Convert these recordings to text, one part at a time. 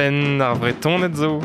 Penn ar Vretoned zo.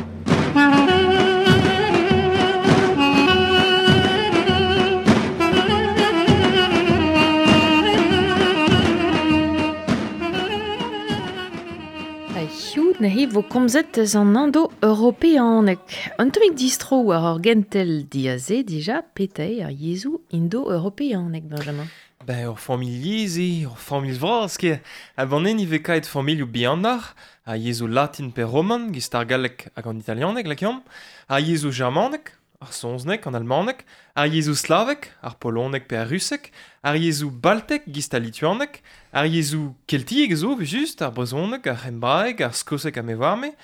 Hiziv neuze vo komzet eus an indo-europeaneg. Un tammig distro war ur gentel diaze dija petra eo ar yezhoù indo-europeaneg, Benjamin. Ben, ur familh yezh eo, ur familh vras ket. Ha banen ivez kaet familhoù bihanoc'h, ar yezhoù latin pe roman, gist ar galleg hag an italianeg, lakaomp, ar yezhoù germanek, ar saozneg, an almaneg, ar yezhoù slavek, ar poloneg pe ar ruseg, ar yezhoù baltek, gist al lituaneg, ar yezhoù keltiek a zo, just, ar brezhoneg, ar c'hembraeg, ar skoseg ha me oar-me,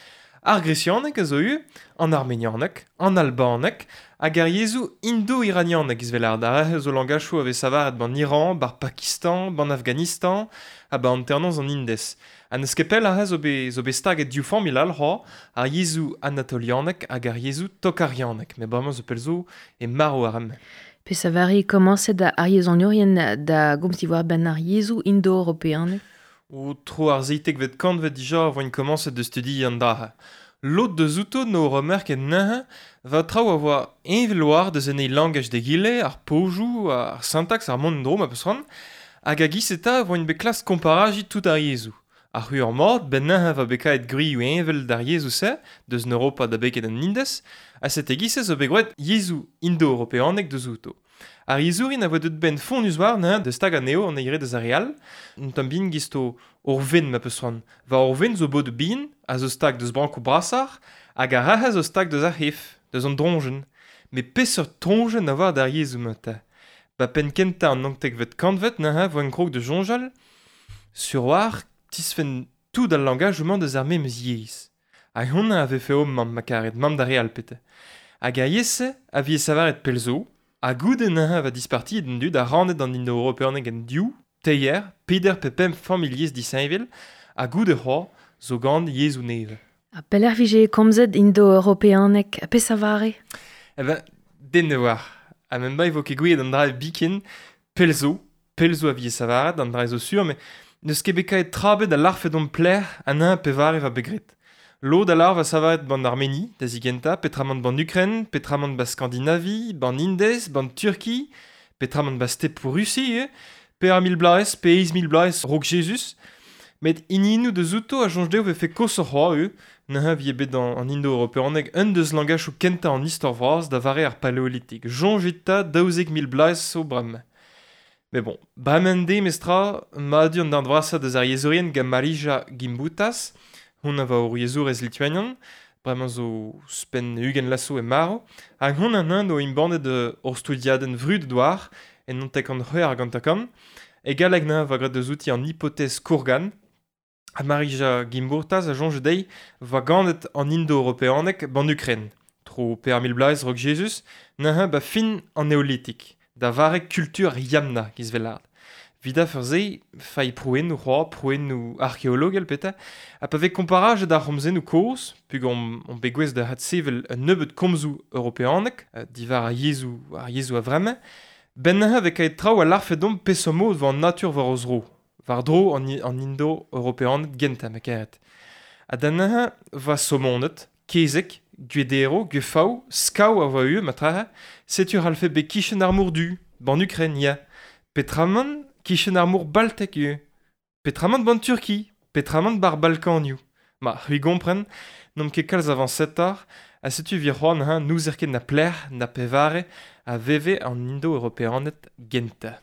ar gresianeg a zo ivez, an armenianeg, an albaneg, hag ar yezhoù indo-iranianeg izvelard. Ar re zo langachoù a vez savaret ban Iran, bar Pakistan, ban Afghanistan, ha ba hanternoz an Indez. Ha n'eus ket pell aze zo bet, zo bet staget div familh all c'hoazh, ar yezhoù anatolianek hag ar yezhoù tokarianek. Met bremañ zo pell zo e marv ar re-mañ. Peseurt komañset ar yezhoniourien da gomz diwar-benn ar yezhoù indo-europeanek? O tro ar seitekvet kantved dija e voint komañset da studiañ an dra. Lod deus outo n'o remerket neuze va traoù a oa heñvel war deus en eil langaj d'egile, ar pozioù, ar sintaks, ar mont en-dro ma peus c'hoant, hag a-giz eta e voint bet klask komparajiñ tout ar yezhoù. Ar c'hwec'h mat, ben neuze va bet kaet gwrioù heñvel d'ar yezhoù-se, deus en Europa da beket an Indez, ha sete giz-se zo bet graet yezhoù indo-europeanek deus outo. Ar yezhourien a voe deut benn fonnus war neuze da stagañ anezho an eil re deus ar re all, un tamm bihan giz-to ur wenn ma peus c'hoant. Va ur wenn zo bod bihan, a zo stag deus brankoù brasoc'h, hag ar rac'h a zo stag deus ar c'hef, deus an droñjenn. Met peseurt troñjenn a oa d'ar yezhoù-mañ 'ta? Ba penn kentañ an naontekvet kantved neuze 'voent krog da soñjal sur war tisfenn tout al langajoù-mañ deus ar memes yezh. Hag honnezh a vefe ho mamm ma karet, mamm d'ar re all pete. Hag ar yezh-se a vije savaret pell zo, ha goude neuze va dispartiet an dud ha rannet an indo-europeaneg en div, teir, peder pe pemp familh yezh disheñvel, ha goude c'hoazh zo gant yezhoù nevez. Ha pelec'h vije komzet indo-europeaneg? Ha peseurt mare? Eh ben, den ne oar. Ha même ba e vo ket gouiet an dra biken, pell zo, pell zo a vije savaret, an dra zo sur, met n'eus ket bet kaet tra bet a larfe d'hon plec'h an eñ pevare va bet graet. Lod a lar va savaret ban Armeni, da zigentañ, petramant ban Ukraine, petramant ba Skandinavi, ban Indez, ban Turki, petramant ba stepoù Rusi ivez, pe ar mil bloaz, pe eizh mil bloaz raok Jezuz. Met hiniennoù deus outo a soñj dezho vefe koshoc'h c'hoazh ivez, neuze vije bet an indo-europeaneg un deus langachoù kentañ an istor vras da vare ar paleolitik. Soñjit 'ta 12 000 bloaz zo bremañ. Met bon, bremañ de mestra, madur an darn vrasañ deus ar yezhourien gant Marija Gimbutas, hon a va ur yezhourez lituanian, bremañ zo ouzhpenn 20 lasoù e marv, hag hon an o embannet ur studiadenn vrudet war en 96. E galleg neuze va graet deus outi an hypothèse Kourgan, ha Marija Gimburtas a soñj dezhi va ganet an indo-europeaneg ban Ukraine, tro 4000 bloaz raok Jezuz, neuze ba fin an neolitik, da vare kultur Yamna giz velard. Evit afer-se, failh prouennoù c'hoazh, prouennoù arkeologel petra, ha pa vez komparajet ar c'homzennoù kozh, peogwir omp bet gouest da adsevel un nebeud komzoù europeanek, diwar ar yezhoù a-vremañ, benn neuze vez kaet traoù a larfe deomp peseurt mod 'vo an natur war o zro, war-dro an indo-europeaned gentañ ma karet. Ha da neuze va somoned, kezeg, gwedero, gwefav, skav a oa ivez matrahe, setu c'hallfe bet kichen ar mor du, ban Ukraine, ya. Petramant kichen ar mor Baltek ivez. Petramant ban Turki, petramant bar Balkanioù. Ma, c'hwi gompren, n'omp ket kalz avañsetoc'h, ha setu evit c'hoant neuze n'ouzer ket na pelec'h na pevare a veve an indo-europeaned gentañ.